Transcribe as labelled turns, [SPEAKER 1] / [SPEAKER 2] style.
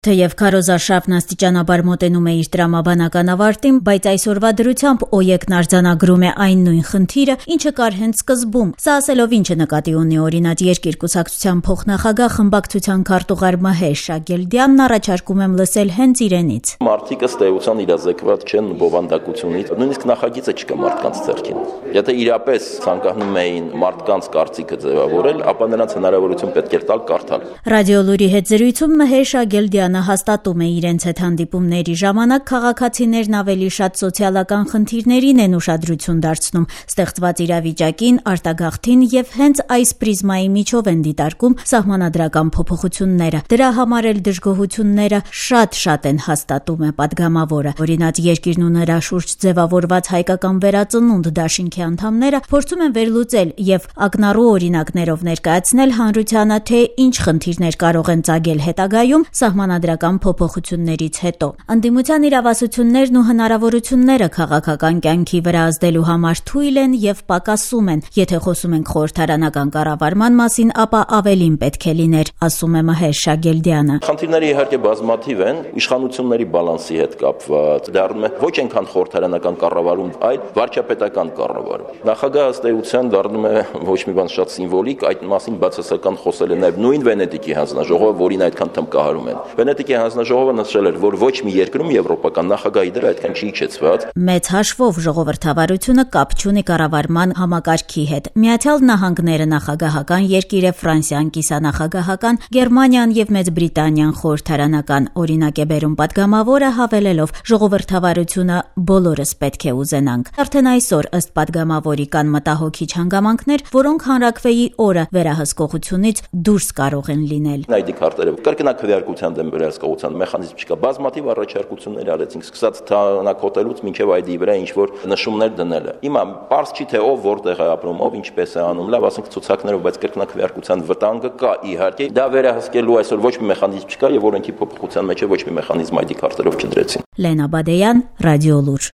[SPEAKER 1] Թեև քարոզարշավն աստիճանաբար մոտենում է իր տրամաբանական ավարտին, բայց այսօրվա դրությամբ ՕԵԿ-ն արձանագրում է այն նույն խնդիրը, ինչը կար հենց սկզբում։ Սա ասելով ինչը նկատի ունի Օրինաց երկիր կուսակցության փոխնախագահ խմբակցության քարտուղար Մհեր Շագելդյանն, առաջարկում եմ լսել հենց իրենից։
[SPEAKER 2] Մարդիկ ըստ էության իրազեկված չեն բովանդակությունից, նույնիսկ նախագիծը չկա մարդկանց ձեռքին։ Եթե իրապես ցանկանում էին մարդկանց կարծիքը ձևավորել, ապա նրանց հնարավորություն պետք է տալ կարդալ։
[SPEAKER 1] Ռադիոլուրի հետ զրույցում Մհեր Շագելդյանը հաստատում է իրենց հետ հանդիպումների ժամանակ քաղաքացիներն ավելի շատ սոցիալական խնդիրներին են ուշադրություն դարձնում, ստեղծված իրավիճակին, արտագաղթին եւ հենց այս պրիզմայի միջով են դիտարկում սահմանադրական փոփոխությունները։ Դրա համար էլ դժգոհությունները շատ են, հաստատում է պատգամավորը։ Օրինաց երկիրն ու նրա շուրջ ձևավորված հայկական վերածնունդ դաշինքի անդամները փորձում են վերլուծել եւ ակնառու օրինակներով ներկայացնել հանրությանը, թե ինչ խնդիրներ կարող են ծագել հետագայում սահմանադրական փոփոխություններից հետո։ Ընդդիմության իրավասություններն ու հնարավորությունները քաղաքական կյանքի վրա ազդելու համար թույլ են եւ պակասում են։ Եթե խոսում ենք խորհրդարանական կառավարման մասին, ապա ավելին պետք է լիներ, ասում է Մհեր Շագելդյանը։
[SPEAKER 2] Խնդիրները իհարկե բազմաթիվ են, իշխանությունների բալանսի հետ կապված, դառնում է ոչ այնքան խորհրդարանական կառավարում, այլ վարչապետական կառավարում։ Նախագահը ըստ էության դառնում է ոչ մի բան շատ սիմվոլիկ, այդ մասին բացասական խոսել է նաև նույն Վենետիկի հանձնաժողովը, որին այդքան թմկահարում են։ Վենետիկի հանձնաժողովը նշել էր, որ ոչ մի երկրում եվրոպական նախագահի դերը այդքան չի իջեցված։
[SPEAKER 1] Մեծ հաշվով ժողովրդավարությունը կապ չունի կառավարման համակարգի հետ։ Միացյալ Նահանգները նախագահական երկիր է, Ֆրանսիան կիսանախագահական, Գերմանիան եւ Մեծ Բրիտանիան խորհրդարանական, օրինակ է բերում պատգամավորը, հավելելով ժողովրդավարությունը բոլորս պետք է ուզենանք։ Արդեն այսօր ըստ պատգամավորի կան մտահոգիչ հանգամանքներ, որոնք հանրաքվեի օրը վերահսկողությունից դուրս կարող են լինել։
[SPEAKER 2] ID քարտերը կրկնակվեարկության դեմ վերահսկողության մեխանիզմ չկա։ Բազմաթիվ առաջարկություններ արեցինք, սկսած թանաքոտելուց մինչև ID-ի վրա ինչ-որ նշումներ դնելը։ Հիմա պարզ չի թե ով որտեղ է ապրում, ով ինչպես է անում, լավ, ասենք ցուցակներով, բայց կրկնակվեարկության վտանգը կա իհարկե։ Դա վերահսկելու այսօր ոչ մի մեխանիզմ չկա եւ օրենքի փոփոխության մեջ ոչ մի մեխանիզմ ID քարտերով չդրեցին։
[SPEAKER 1] Լենա Բադեյան, Ռադիոլուր։